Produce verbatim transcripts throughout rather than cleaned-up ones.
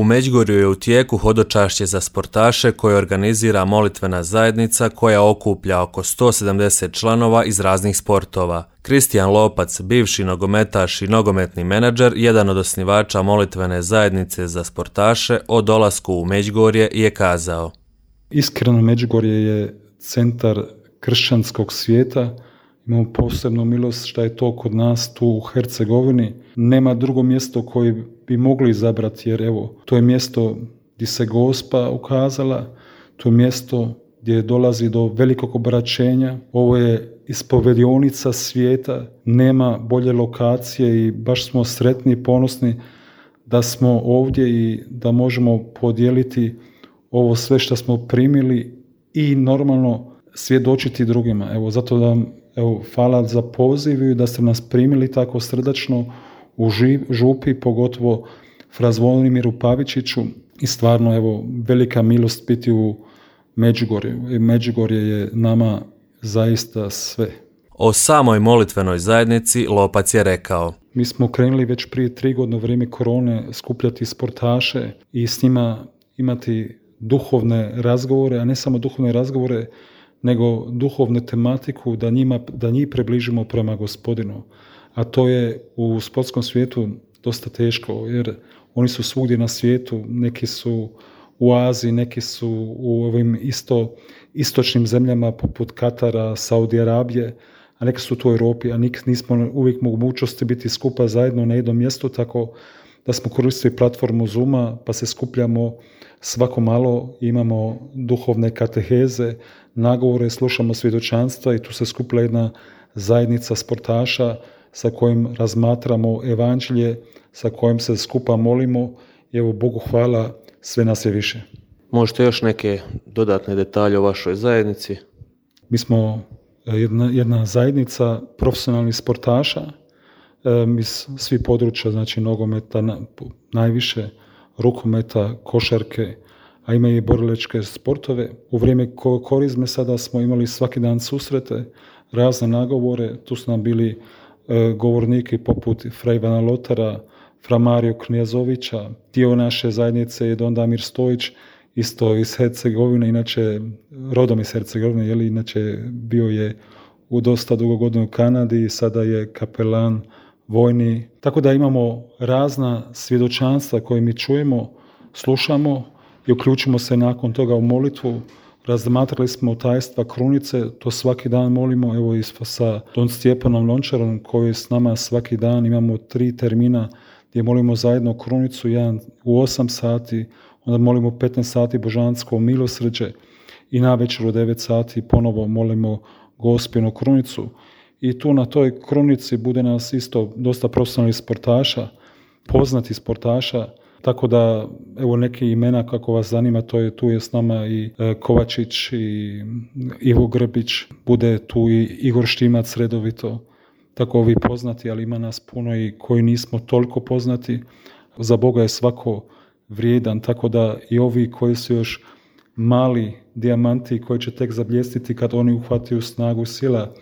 U Međugorju je u tijeku hodočašće za sportaše koje organizira molitvena zajednica koja okuplja oko sto sedamdeset članova iz raznih sportova. Kristijan Lopac, bivši nogometaš i nogometni menadžer, jedan od osnivača molitvene zajednice za sportaše, o dolasku u Međugorje je kazao: Iskreno, Međugorje je centar kršćanskog svijeta. Imamo posebnu milost što je to kod nas tu u Hercegovini. Nema drugo mjesto koje bi mogli izabrati, jer evo, to je mjesto gdje se Gospa ukazala, to je mjesto gdje dolazi do velikog obraćenja. Ovo je ispovedionica svijeta, nema bolje lokacije i baš smo sretni i ponosni da smo ovdje i da možemo podijeliti ovo sve što smo primili i normalno svjedočiti drugima. Evo, zato da vam evo, hvala za poziv i da ste nas primili tako srdačno u župi, pogotovo fra Zvonimiru Pavičiću, i stvarno evo, velika milost biti u Međugorju. Međugorje je nama zaista sve. O samoj molitvenoj zajednici Lopac je rekao: Mi smo krenuli već prije tri godine u vrijeme korone skupljati sportaše i s njima imati duhovne razgovore, a ne samo duhovne razgovore, nego duhovnu tematiku da, njima, da njih približimo prema Gospodinu. A to je u sportskom svijetu dosta teško, jer oni su svugdje na svijetu, neki su u Aziji, neki su u ovim isto, istočnim zemljama poput Katara, Saudi Arabije, a neki su tu u Europi, a nik, nismo uvijek mogućnosti biti skupa zajedno na jednom mjestu, tako da smo koristili platformu Zooma, pa se skupljamo svako malo, imamo duhovne kateheze, nagovore, slušamo svjedočanstva i tu se skupila jedna zajednica sportaša sa kojim razmatramo evanđelje, sa kojim se skupa molimo i evo, Bogu hvala, sve nas je više. Možete još neke dodatne detalje o vašoj zajednici? Mi smo jedna, jedna zajednica profesionalnih sportaša, iz svih područja, znači nogometa, najviše rukometa, košarke, a ima i borilačke sportove. U vrijeme korizme sada smo imali svaki dan susrete, razne nagovore, tu su nam bili e, govorniki poput fra Ivana Lotara, fra Mario Knjazovića, dio naše zajednice je Don Damir Stojić, isto iz Hercegovine, inače rodom iz Hercegovine, jeli, inače bio je u dosta dugo godina u Kanadi i sada je kapelan vojni. Tako da imamo razna svjedočanstva koje mi čujemo, slušamo i uključimo se nakon toga u molitvu. Razmatrali smo tajstva krunice, to svaki dan molimo, evo i sa Don Stjepanom Lončarom koji s nama svaki dan imamo tri termina gdje molimo zajedno krunicu, jedan u osam sati, onda molimo petnaest sati božansko milosrđe i navečer u devet sati ponovo molimo Gospinu krunicu. I tu na toj krunici bude nas isto dosta profesionalnih sportaša, poznati sportaša, tako da evo neke imena kako vas zanima, to je, tu je s nama i e, Kovačić i Ivo Grbić, bude tu i Igor Štimac redovito, tako ovi poznati, ali ima nas puno i koji nismo toliko poznati. Za Boga je svako vrijedan, tako da i ovi koji su još mali dijamanti koji će tek zabljesniti kad oni uhvatiju snagu sila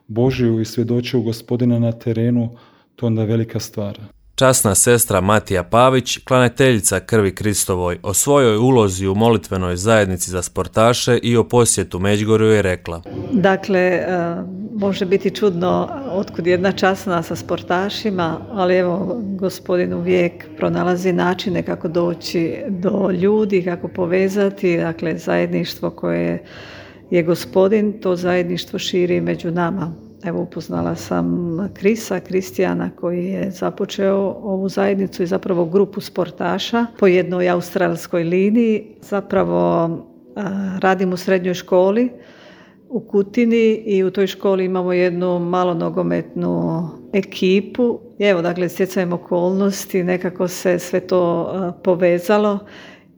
Božiju i svjedočuju Gospodina na terenu, to onda je velika stvar. Časna sestra Matija Pavić, klaniteljica krvi Kristovoj, o svojoj ulozi u molitvenoj zajednici za sportaše i o posjetu Međugorju je rekla: Dakle, može biti čudno otkud jedna časna sa sportašima, ali evo, Gospodin uvijek pronalazi načine kako doći do ljudi, kako povezati, dakle, zajedništvo koje je Gospodin, to zajedništvo širi među nama. Evo, upoznala sam Krisa, Kristijana, koji je započeo ovu zajednicu i zapravo grupu sportaša po jednoj australskoj liniji. Zapravo radim u srednjoj školi u Kutini i u toj školi imamo jednu malo nogometnu ekipu. I evo, dakle, stjecajem okolnosti, nekako se sve to povezalo.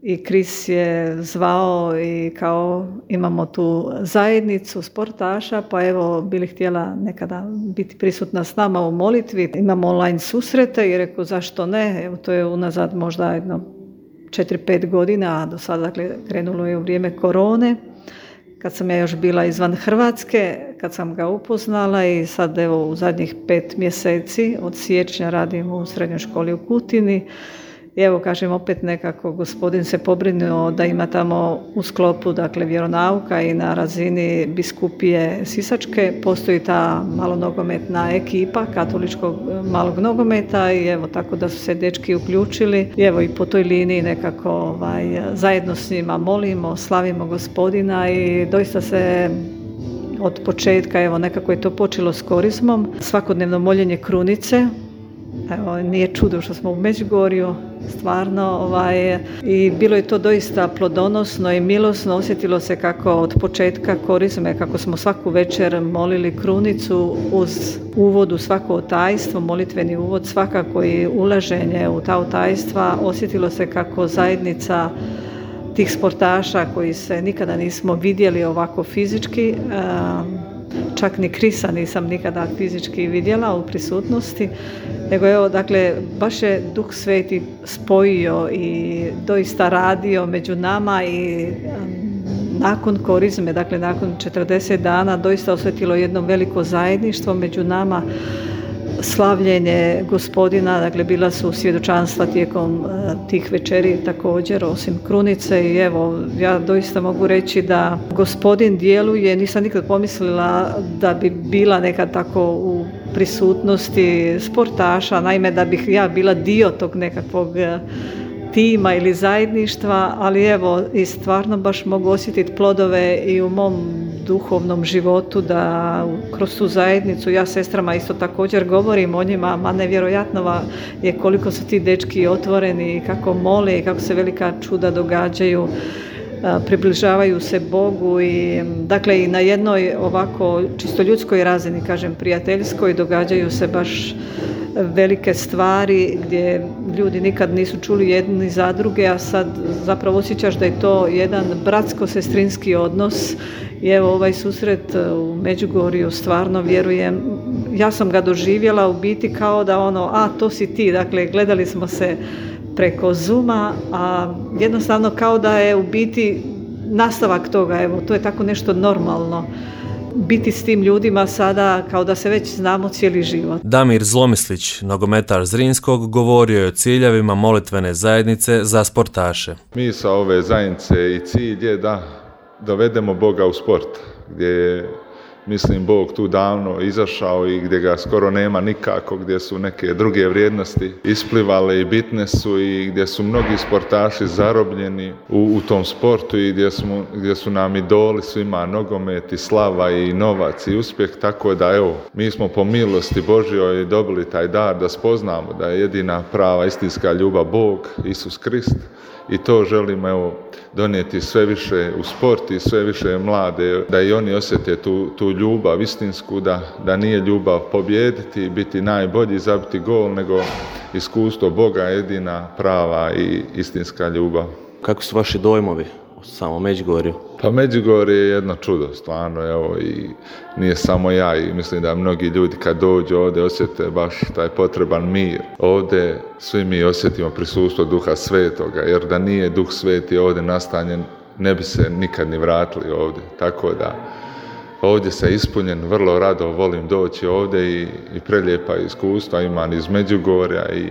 I Kris je zvao i kao imamo tu zajednicu sportaša, pa evo bili htjela nekada biti prisutna s nama u molitvi. Imamo online susrete i rekao zašto ne, evo to je unazad možda jedno četiri pet godina, a do sada dakle, krenulo je u vrijeme korone. Kad sam ja još bila izvan Hrvatske, kad sam ga upoznala i sad evo u zadnjih pet mjeseci od siječnja radim u srednjoj školi u Kutini. I evo kažem opet nekako gospodin se pobrinuo da ima tamo u sklopu dakle vjeronauka i na razini biskupije Sisačke postoji ta malonogometna ekipa katoličkog malog nogometa i evo tako da su se dečki uključili i evo i po toj liniji nekako ovaj, zajedno s njima molimo, slavimo gospodina i doista se od početka, evo nekako je to počelo s korizmom, svakodnevno moljenje krunice. Evo, nije čudo što smo u Međugorju, stvarno, ovaj, i bilo je to doista plodonosno i milosno, osjetilo se kako od početka korizme, kako smo svaku večer molili krunicu uz uvod u svako otajstvo, molitveni uvod, svakako i ulaženje u ta otajstva, osjetilo se kako zajednica tih sportaša koji se nikada nismo vidjeli ovako fizički, čak ni Krisa nisam nikada fizički vidjela u prisutnosti, nego evo, dakle, baš je Duh Sveti spojio i doista radio među nama i nakon korizme, dakle nakon četrdeset dana, doista osjetilo jedno veliko zajedništvo među nama, slavljenje gospodina, dakle bila su svjedočanstva tijekom uh, tih večeri također, osim krunice i evo, ja doista mogu reći da gospodin djeluje, nisam nikad pomislila da bi bila nekad tako u prisutnosti sportaša, naime da bih ja bila dio tog nekakvog uh, tima ili zajedništva, ali evo i stvarno baš mogu osjetiti plodove i u mom duhovnom životu da kroz tu zajednicu, ja sestrama isto također govorim o njima, ma nevjerojatno je koliko su ti dečki otvoreni, kako mole i kako se velika čuda događaju, približavaju se Bogu i dakle i na jednoj ovako čisto ljudskoj razini, kažem prijateljskoj, događaju se baš velike stvari gdje ljudi nikad nisu čuli jedni za druge, a sad zapravo osjećaš da je to jedan bratsko-sestrinski odnos i evo ovaj susret u Međugorju stvarno vjerujem, ja sam ga doživjela u biti kao da ono, a to si ti, dakle gledali smo se preko Zooma, a jednostavno kao da je u biti nastavak toga, evo to je tako nešto normalno. Biti s tim ljudima sada kao da se već znamo cijeli život. Damir Zlomislić, nogometaš Zrinskog, govorio je o ciljevima molitvene zajednice za sportaše. Mi sa ove zajednice i cilj je da dovedemo Boga u sport, gdje je, mislim, Bog tu davno izašao i gdje ga skoro nema nikako, gdje su neke druge vrijednosti isplivale i bitne su i gdje su mnogi sportaši zarobljeni u, u tom sportu i gdje, smo, gdje su nam idoli svima nogomet i slava i novac i uspjeh, tako da evo, mi smo po milosti Božjoj dobili taj dar da spoznamo da je jedina prava istinska ljubav Bog, Isus Krist. I to želimo evo, donijeti sve više u sport i sve više mlade, da i oni osjete tu, tu ljubav istinsku, da, da nije ljubav pobijediti, biti najbolji, zabiti gol, nego iskustvo Boga jedina prava i istinska ljubav. Kako su vaši dojmovi u samom Međugorju? Pa Međugorje je jedno čudo, stvarno, evo, i nije samo ja i mislim da mnogi ljudi kad dođu ovdje osjete baš taj potreban mir. Ovdje svi mi osjetimo prisustvo Duha Svetoga, jer da nije Duh Sveti ovdje nastanjen, ne bi se nikad ni vratili ovdje. Tako da ovdje se ispunjen, vrlo rado volim doći ovdje i, i prelijepa iskustva imam iz Međugorja i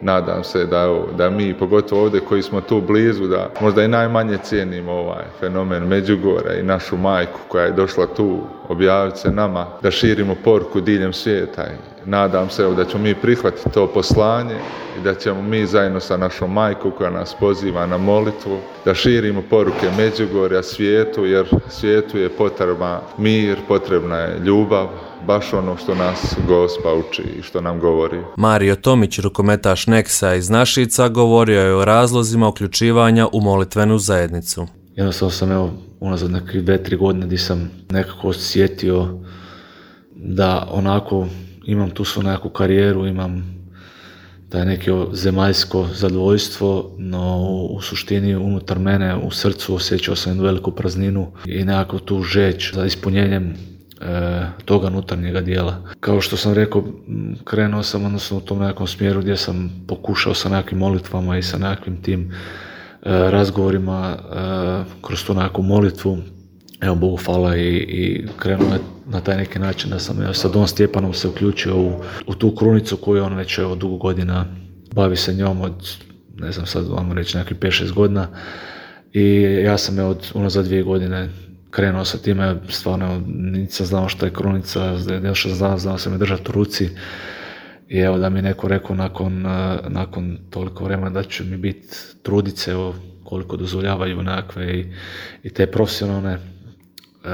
nadam se da, da mi, pogotovo ovdje koji smo tu blizu, da možda i najmanje cijenimo ovaj fenomen Međugorja i našu majku koja je došla tu objaviti se nama, da širimo poruku diljem svijeta. I nadam se evo, da ćemo mi prihvatiti to poslanje i da ćemo mi zajedno sa našom majkom koja nas poziva na molitvu, da širimo poruke Međugorja svijetu, jer svijetu je potrebna mir, potrebna je ljubav, baš ono što nas Gospa uči i što nam govori. Mario Tomić, rukometaš Neksa iz Našica, govorio je o razlozima uključivanja u molitvenu zajednicu. Jednostavno sam evo unazad neke dve, tri godine gdje sam nekako osjetio da onako imam tu svu nekakvu karijeru, imam taj neko zemaljsko zadovoljstvo, no u suštini unutar mene, u srcu osjećao sam jednu veliku prazninu i nekako tu žeć za ispunjenjem e, toga unutarnjega dijela. Kao što sam rekao, krenuo sam odnosno u tom nekom smjeru gdje sam pokušao sa nekakvim molitvama i sa nekakvim tim e, razgovorima e, kroz tu nekakvu molitvu. Evo, Bogu hvala i, i krenuo je na taj neki način da sam evo, sa Don Stjepanom se uključio u, u tu krunicu koju on već evo, dugo godina bavi se njom od ne znam sad, vamo reći nekakvih pet šest godina i ja sam je od unazad dvije godine krenuo sa time, stvarno nisam znao što je krunica, još znao, znao sam je držati u ruci i evo da mi neko rekao nakon, nakon toliko vremena da će mi biti trudice, evo koliko dozvoljavaju nekakve i, i te profesionalne E,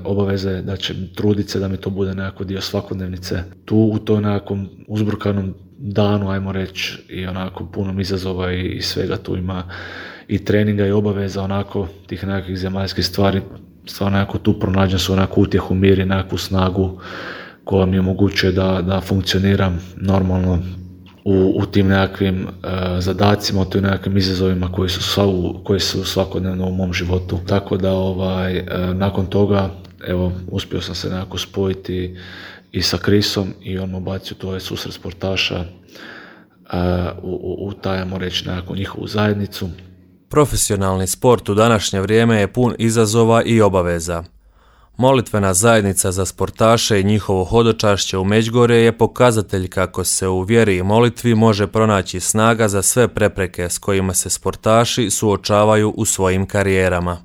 obaveze, da će truditi se da mi to bude nekako dio svakodnevnice. Tu u toj nekakvom uzburkanom danu, ajmo reći, i onako punom izazova i, i svega tu ima i treninga i obaveza, onako tih nekakvih zemaljskih stvari, stvarno nekako tu pronađem su onako utjehu, mir i nekakvu snagu koja mi omogućuje da, da funkcioniram normalno u, u tim nekakvim uh, zadacima, u tim nekakvim izazovima koji su, sva, koji su svakodnevno u mom životu. Tako da ovaj, uh, nakon toga evo, uspio sam se nekako spojiti i sa Krisom i on me bacio to je susret sportaša uh, u, u, u tajamo reći nekako njihovu zajednicu. Profesionalni sport u današnje vrijeme je pun izazova i obaveza. Molitvena zajednica za sportaše i njihovo hodočašće u Međugorje je pokazatelj kako se u vjeri i molitvi može pronaći snaga za sve prepreke s kojima se sportaši suočavaju u svojim karijerama.